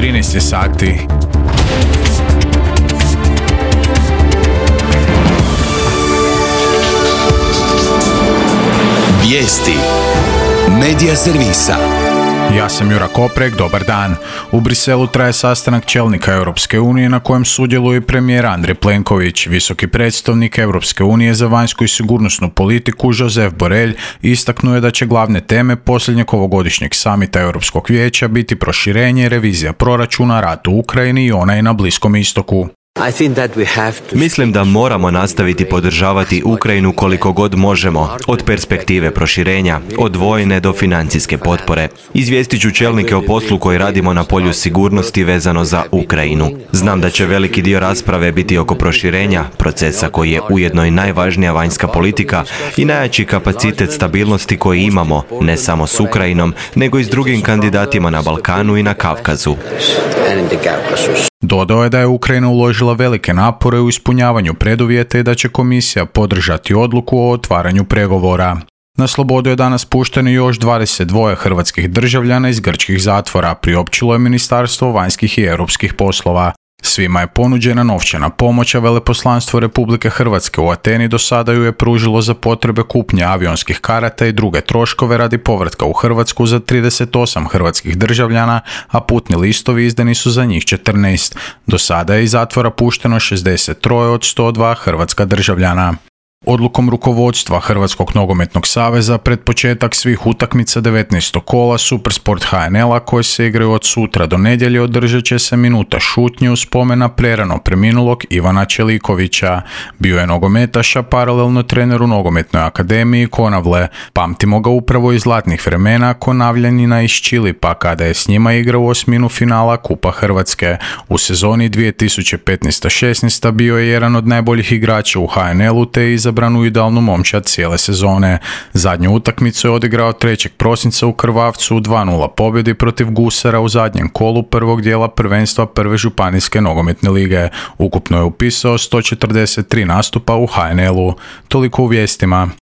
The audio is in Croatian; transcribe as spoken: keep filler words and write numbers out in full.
trinaest je sati. Vijesti Medija servisa. Ja sam Jura Koprek, dobar dan. U Briselu traje sastanak čelnika Europske unije na kojem sudjeluje premijer Andrej Plenković. Visoki predstavnik Europske unije za vanjsku i sigurnosnu politiku Josep Borrell istaknuo je da će glavne teme posljednjeg ovogodišnjeg samita Europskog vijeća biti proširenje, revizija proračuna, rat u Ukrajini i onaj na Bliskom istoku. Mislim da moramo nastaviti podržavati Ukrajinu koliko god možemo, od perspektive proširenja, od vojne do financijske potpore. Izvijestit ću čelnike o poslu koji radimo na polju sigurnosti vezano za Ukrajinu. Znam da će veliki dio rasprave biti oko proširenja, procesa koji je ujedno i najvažnija vanjska politika i najjači kapacitet stabilnosti koji imamo, ne samo s Ukrajinom, nego i s drugim kandidatima na Balkanu i na Kavkazu. Dodao je da je Ukrajina uložila velike napore u ispunjavanju preduvjeta i da će komisija podržati odluku o otvaranju pregovora. Na slobodu je danas pušteno još dvadeset dva hrvatskih državljana iz grčkih zatvora, priopćilo je Ministarstvo vanjskih i europskih poslova. Svima je ponuđena novčana pomoć, a veleposlanstvo Republike Hrvatske u Ateni do sada ju je pružilo za potrebe kupnje avionskih karata i druge troškove radi povratka u Hrvatsku za trideset osam hrvatskih državljana, a putni listovi izdani su za njih četrnaest. Do sada je iz zatvora pušteno šezdeset tri od sto dva hrvatska državljana. Odlukom rukovodstva Hrvatskog nogometnog saveza pred početak svih utakmica devetnaestog kola Supersport H N L-a koje se igraju od sutra do nedjelje održat će se minuta šutnje u spomen na prerano preminulog Ivana Čelikovića. Bio je nogometaš, a paralelno trener u nogometnoj akademiji Konavle. Pamtimo ga upravo iz zlatnih vremena Konavljanina iz Čilipa kada je s njima igrao osminu finala Kupa Hrvatske. U sezoni dvije tisuće petnaeste šesnaeste bio je jedan od najboljih igrača u H N L-u te je izabran u idealnu momčad cijele sezone. Zadnju utakmicu je odigrao trećeg prosinca u Krvavcu u dva nula pobjedi protiv Gusara u zadnjem kolu prvog dijela prvenstva prve županijske nogometne lige. Ukupno je upisao sto četrdeset tri nastupa u H N L-u. Toliko u vijestima.